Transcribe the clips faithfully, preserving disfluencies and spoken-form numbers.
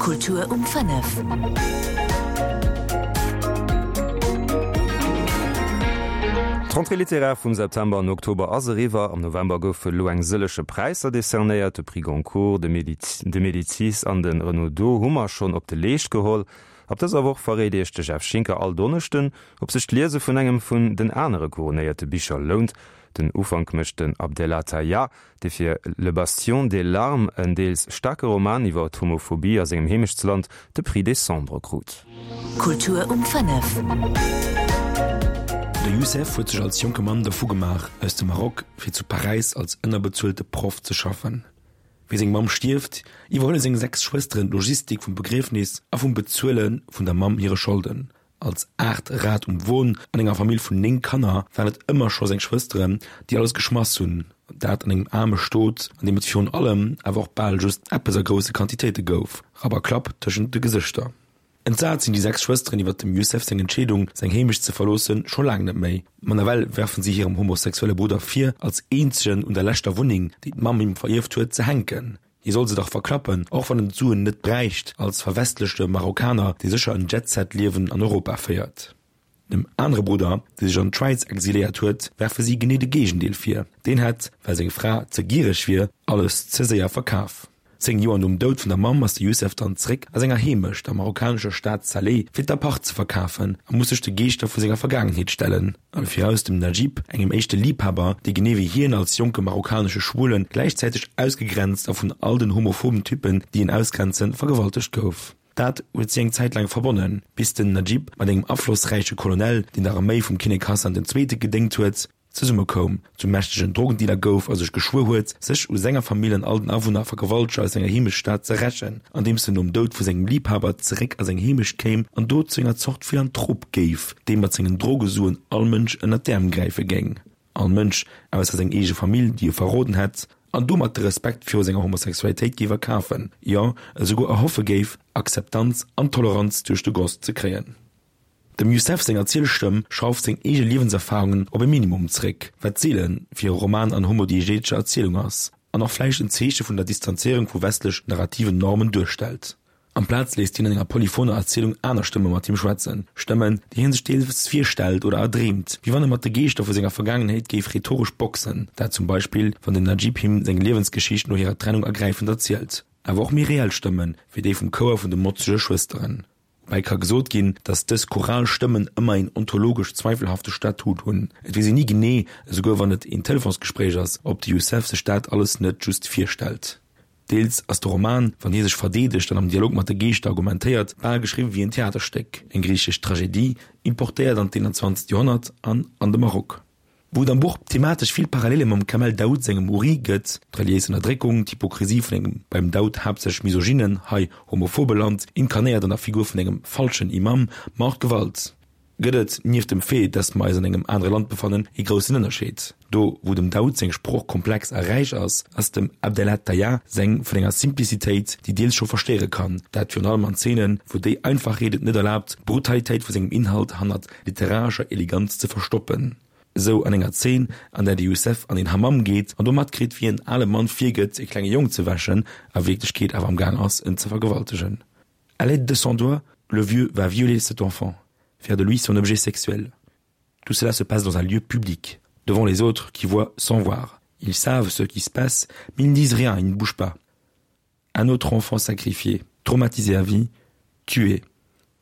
Kultur um fënnef. D'Rentrée littéraire vum September an Oktober ass eriwwer. Am November goufe lo eng sëllege Präisser decernéiert, de Prix Goncourt, de de Médicis an de Renaudot hu mer schonn op de Leescht geholl. Ab dëser Woch verréit Iech de Jeff Schinker all Donneschden, ob sech d'Liese vun engem vun den anere couronnéierte Bicher lount. Den Ufank mécht den Abdellah Taïa, dee fir Le Bastion des larmes, en deels staarke Roman iwwer d'Homophobie a sengem Heemechtsland, de Prix Décembre krut. Kultur um fënnef. De Youssef huet sech als jonke Mann dervu gemaach, aus dem Maroc fir zu Paräis als ënnerbezuelte Proff ze schaffen. Wéi seng Mamm stierft, iwwerhuele seng sechs Schwësteren d'Logistik vum Begriefnis a vum Bezuele vun der Mamm hire Scholden. Als aacht Rad um Won an enger Famill vun néng Kanner waren et ëmmer scho seng Schwësteren, déi alles geschmass hunn, dat an engem aarme Stot, an deem et virun allem awer och bal just eppes a grousse Quantitéite gouf, Rapp a Klapp tëschent de Gesëschter. Entsat sinn déi sechs Schwësteren iwwer dem Youssef seng Entscheedung, seng Heemecht ze verloossen, scho laang net méi. Ma nawell werfen si hirem homosexuelle Brudder vir, als eenzegen un der leschter Wunneng, déi d'Mamm him verierft huet, ze hänken. Hie soll se dach verklappen, och wann en d'Suen net bräicht, als verwestlechte Marokkaner, dee sécher en Jet-Set-Liewen an Europa féiert. Dem anere Brudder, dee sech an d'Schwäiz exiléiert huet, werfe si genee de Géigendeel vir, Deen hätt, well seng Fra ze giereg wier, alles ze séier verkaf. Zéng Joer nom Doud vun der Mamm ass de Youssef dann zréck a senger Heemecht, der marokkanescher Stad Salé, fir d'Appart ze verkafen a muss sech de Geeschter vu senger Vergaangenheet stellen, alle viraus dem Najib, engem éischte Liibhaber, dee genee wéi hien als jonke marokkanesche Schwulen gläichzäiteg ausgegrenzt a vun all den homophoben Typpen, déi en ausgrenzen, vergewaltegt gouf. Dat huet si eng Zäit laang verbonnen, bis den Najib mat engem aflossräiche Colonel, deen der Arméi vum Kinnek Hassan den Zweete gedéngt huet, zesummekoum, zum mächtegen Drogendealer gouf a sech geschwuer huet, sech u senger Famill an all den Awunner a Vergewalteger aus senger Heemechtsstad ze rächen, andeems en nom Doud vu sengem Liibhaber zeréck a seng Heemecht kéim an do zu enger Zort Philanthrop géif, dee mat sengen Drogesuen all Mënsch ënnert d'Äerm gräife géing, all Mënsch, ausser seng eege Famill, déi e verroden hätt, an domat de Respekt viru senger Homosexualitéit géif erkafen, jo, esouguer erhoffe géif, Akzeptanz an Toleranz duerch de Goss ze kréien. Dem Youssef seng Erzielstëmm schrauft seng eege Liewenserfarungen op e Minimum zréck, wat seele fir e Roman an homodiegeetescher Erzielung ass an och vläicht en Zeeche vun der Distanzéierung vu westlech narrativen Normen duerstellt. Amplaz léisst hien an enger polyphoner Erzielung aner Stëmme mat him schwätzen, Stëmmen, déi hie sech deels virstellt oder erdreemt, wéi wann e mat de Geeschter vu senger Vergaangenheet géif rhetoresch boxen, dat zum Beispill, wann den Najib him seng Liewensgeschicht no hirer Trennung ergräifend erzielt, awer och méi reell Stëmmen, wéi déi vum Chouer vun de motzege Schwësteren. Woubäi ka gesot ginn, datt dës choral Stëmmen ëmmer een ontologesch zweifelhafte Statut hunn. Et weess een ni genee, esouguer wann et een Telefonsgespréich ass, ob de Youssef sech dat alles net just virstellt. Deels ass de Roman, wann hie sech verdeedegt an am Dialog mat de Geeschter argumentéiert, bal geschriwwen wéi en Theaterstéck, eng griichesch Tragedie, importéiert an d'eenanzwanzegt Joerhonnert an an de Maroc. Wou et am Buch thematesch vill Parallele mam Kamel Daoud sengem Uri gëtt, d'reliéis Ënnerdréckung, d'Hypokrisie vun engem beim Daoud haaptsächlech misogynen, hei homophobe Land, inkarnéiert an der Figur vun engem falschen Imam, ma och d'Gewalt, gëtt et, nieft dem Fait, dass mer eis an engem anere Land befannen, ee groussen Ënnerscheed. Do wou dem Daoud seng Sprooch komplex a räich ass, ass dem Abdellah Taïa seng vun enger Simplicitéit, déi deels scho verstéiere kann, dat virun allem an Zeenen, wou déi Einfachheet et net erlaabt, d'Brutalitéit vu sengem Inhalt hannert literarescher Eleganz ze verstoppen. Esou an enger Zeen, an där de Youssef an een Hammam geet an do matkritt, wéi en ale Mann virgëtt, e klenge Jong ze wäschen, a Wierklechkeet awer am Gaang ass, en ze vergewaltegen. À l'aide de son doigt, le vieux va violer cet enfant, faire de lui son objet sexuel. Tout cela se passe dans un lieu public, devant les autres qui voient sans voir. Ils savent ce qui se passe, mais ils ne disent rien, ils ne bougent pas. Un autre enfant sacrifié, traumatisé à vie, tué.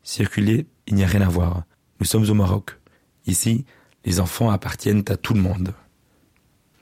Circuler, il n'y a rien à voir. Nous sommes au Maroc. Ici, les enfants appartiennent à tout le monde.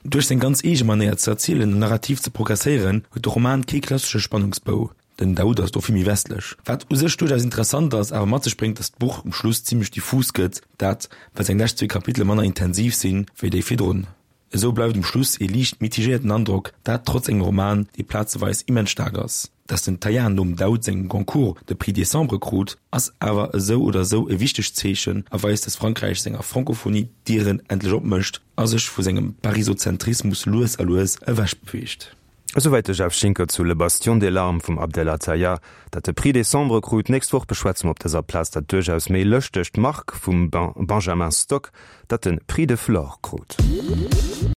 Duerch seng ganz eege Manéier ze erzielen an narrativ ze progresséieren, huet de Roman kee klassesche Spannungsbou. Den Daoud ass do vill méi westlech. Wat u sech duerchaus interessant ass, awer mat sech bréngt, datt d'Buch um Schluss zimmlech diffus gëtt, dat well seng lescht zwee Kapitele manner intensiv sinn, wéi déi virdrun. Esou bleift um Schluss ee liicht mitigéierten Androck, dat trotz engem Roman, dee plazeweis immens staark ass. Dass den Taillard nom Daoud sengem Goncourt de Prix Décembre krut, ass awer esou oder esou e wichtegt Zeechen a weist, dass Frankräich senger Francophonie d'Dieren endlech opmécht a sech vu sengem Parisozentrismus lues a lues ewech beweegt. Esouwäit de Jeff Schinker zu Le Bastion des larmes vum Abdellah Taïa, dat de Prix Décembre krut. D'nächst Woch beschwätze mer op dëser Plaz dat duerchaus méi lëschtegt Marc vum Benjamin Stock, dat de Prix de Flore krut.